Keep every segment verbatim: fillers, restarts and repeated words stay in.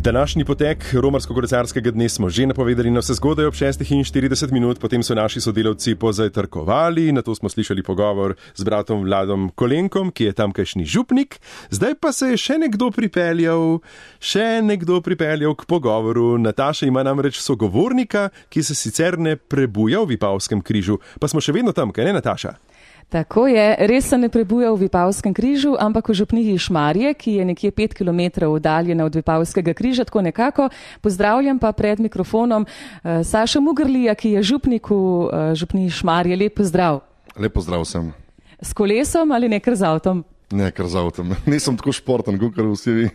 Današnji potek romarsko-kolesarskega dne smo že napovedali na vse zgodaj ob šestih in štirideset minut, potem so naši sodelavci pozajtrkovali, nato smo slišali pogovor z bratom Vladom Kolenkom, ki je tamkajšnji župnik, zdaj pa se je še nekdo pripeljal, še nekdo pripeljal k pogovoru. Nataša ima namreč sogovornika, ki se sicer ne prebuja v Vipavskem križu, pa smo še vedno tam, kaj ne, Nataša? Tako je, res se ne prebuja v Vipavskem križu, ampak v župniji Šmarje, ki je nekje pet kilometrov oddaljena od Vipavskega križa, tako nekako. Pozdravljam pa pred mikrofonom uh, Sašo Mugrlija, ki je župnik v uh, župniji Šmarje. Lep pozdrav. Lep pozdrav sem. S kolesom ali nekar z avtom? Ne, kar z avtom. Nisem tako športen, kot vsi vi.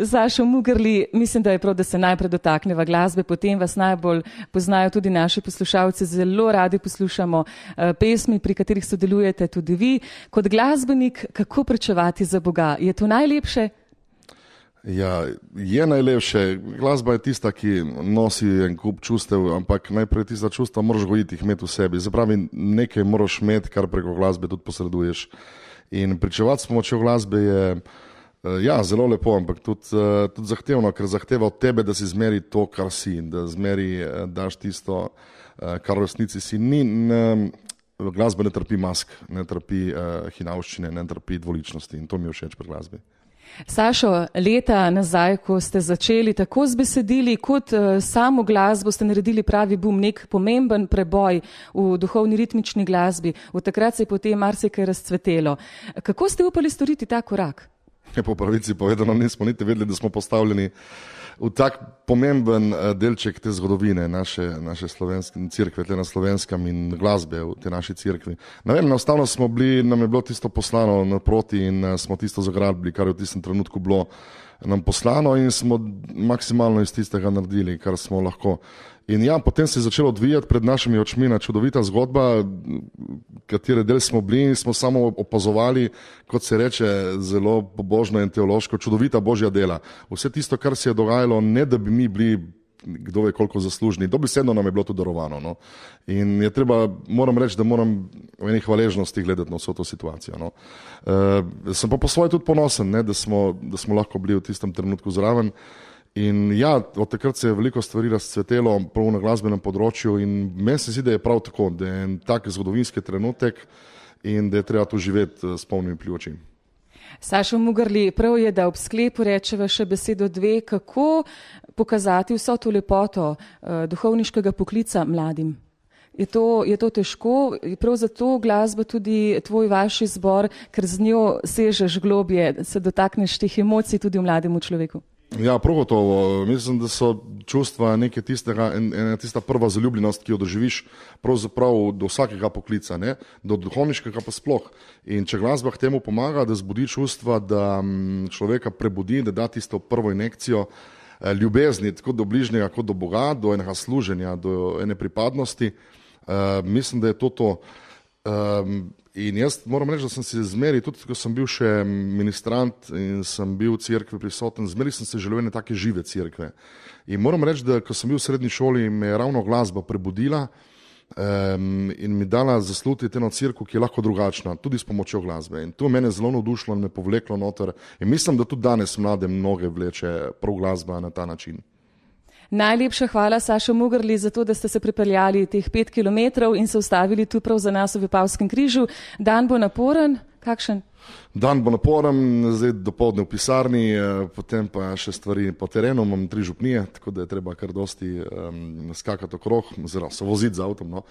Sašo Mugrli, mislim, da je prav, da se najprej dotakneva glasbe, potem vas najbolj poznajo tudi naši poslušalci, zelo radi poslušamo uh, pesmi, pri katerih sodelujete tudi vi. Kot glasbenik, kako pričevati za Boga? Je to najlepše? Ja, je najlepše. Glasba je tista, ki nosi en kup čustev, ampak najprej tista čustva moraš gojiti, jih imeti v sebi. Zapravi, nekaj moraš imeti, kar preko glasbe tudi posreduješ. In pričevati s pomočjo glasbe je ja, zelo lepo, ampak tudi, tudi zahtevno, ker zahteva od tebe, da si zmeri to, kar si, da zmeri daš tisto, kar v resnici si. Ni, ne, glasba ne trpi mask, ne trpi uh, hinavščine, ne trpi dvoličnosti in to mi je všeč pri glasbi. Sašo, leta nazaj, ko ste začeli tako z besedili, kot uh, samo glasbo, ste naredili pravi bum, nek pomemben preboj v duhovni ritmični glasbi. Od takrat se je potem marsikaj razcvetelo. Kako ste upali storiti ta korak? Ja, po pravici povedano, nismo niti vedeli, da smo postavljeni v tak pomemben delček te zgodovine naše, naše slovenske cerkve, tle na Slovenskem in glasbe v te naši cerkvi. Ne vem, enostavno smo bili, nam je bilo tisto poslano naproti in smo tisto zagrabili, kar je v tistem trenutku bilo nam poslano in smo maksimalno iz tistega naredili, kar smo lahko. In ja, potem se je začelo odvijati pred našimi očmi na čudovita zgodba, katere del smo bili in smo samo opazovali, kot se reče zelo pobožno in teološko, čudovita božja dela. Vse tisto, kar se je dogajalo, ne da bi mi bili, kdo ve koliko zaslužni, dobesedno nam je bilo to darovano. No? In je treba, moram reči, da moram v eni hvaležnosti gledati na vso to situacijo. No? E, sem pa po svoje tudi ponosen, ne, da, smo, da smo lahko bili v tistem trenutku zraven. In ja, od takrat se je veliko stvari razcvetelo prav na glasbenem področju in meni se zdi, da je prav tako, da je en tak zgodovinski trenutek in da je treba to živeti s polnimi pljuči. Sašo Mugrli, prav je, da ob sklepu rečeva še besedo dve, kako pokazati vso to lepoto uh, duhovniškega poklica mladim. Je to, je to težko, prav zato glasba tudi tvoj vaš izbor, ker z njo sežeš globje, se dotakneš teh emocij tudi v mlademu človeku. Ja, prav gotovo. Mislim, da so čustva nekaj tistega, ena tista prva zaljubljenost, ki jo doživiš pravzaprav do vsakega poklica, ne? Do duhovniškega pa sploh. In če glasba k temu pomaga, da zbudi čustva, da človeka prebudi, da da tisto prvo injekcijo ljubezni, tako do bližnjega, kot do Boga, do enega služenja, do ene pripadnosti, uh, mislim, da je to to. Um, in jaz moram reči, da sem se zmeri, tudi ko sem bil še ministrant in sem bil v cerkvi prisoten, zmeri sem se želel ene take žive cerkve. In moram reči, da ko sem bil v srednji šoli, me je ravno glasba prebudila um, in mi dala zaslutiti eno cerkev, ki je lahko drugačna, tudi s pomočjo glasbe. In to mene zelo navdušilo in me povleklo noter. In mislim, da tudi danes mlade mnoge vleče prav glasba na ta način. Najlepša hvala, Sašo Mugrli, za to, da ste se pripeljali teh pet kilometrov in se ustavili tu prav za nas v Vipavskem križu. Dan bo naporen, kakšen? Dan bo naporen, zdaj dopoldne v pisarni, potem pa še stvari po terenu, imam tri župnije, tako da je treba kar dosti um, skakati okrog, oziroma se voziti z avtom. No.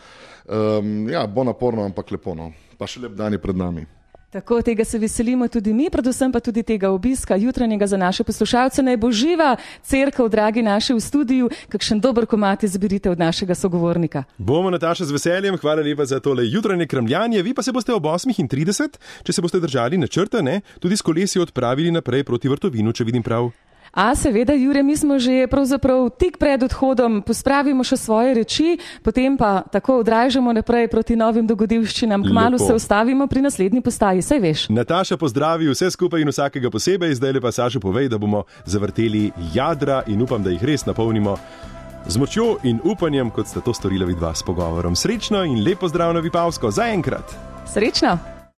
Um, ja, bo naporno, ampak lepo, no. Pa še lep dan je pred nami. Tako, tega se veselimo tudi mi, predvsem pa tudi tega obiska jutranjega za naše poslušalce. Naj bo živa cerkev, dragi naši v studiu, kakšen dober komad izberite od našega sogovornika. Bomo, Nataša, z veseljem, hvala lepa za tole jutranje kramljanje, vi pa se boste ob osmih in trideset, če se boste držali načrta, ne, tudi s kolesi odpravili naprej proti Vrtovinu, če vidim prav. A seveda, Jure, mi smo že pravzaprav tik pred odhodom, pospravimo še svoje reči, potem pa tako odražamo naprej proti novim dogodivščinam. Kmalu se ustavimo pri naslednji postaji, saj veš. Nataša, pozdravi vse skupaj in vsakega posebej, zdaj lepa Sašo povej, da bomo zavrteli jadra in upam, da jih res napolnimo z močjo in upanjem, kot sta to storila vidva s pogovorom. Srečno in lep pozdrav na Vipavsko, zaenkrat. Srečno.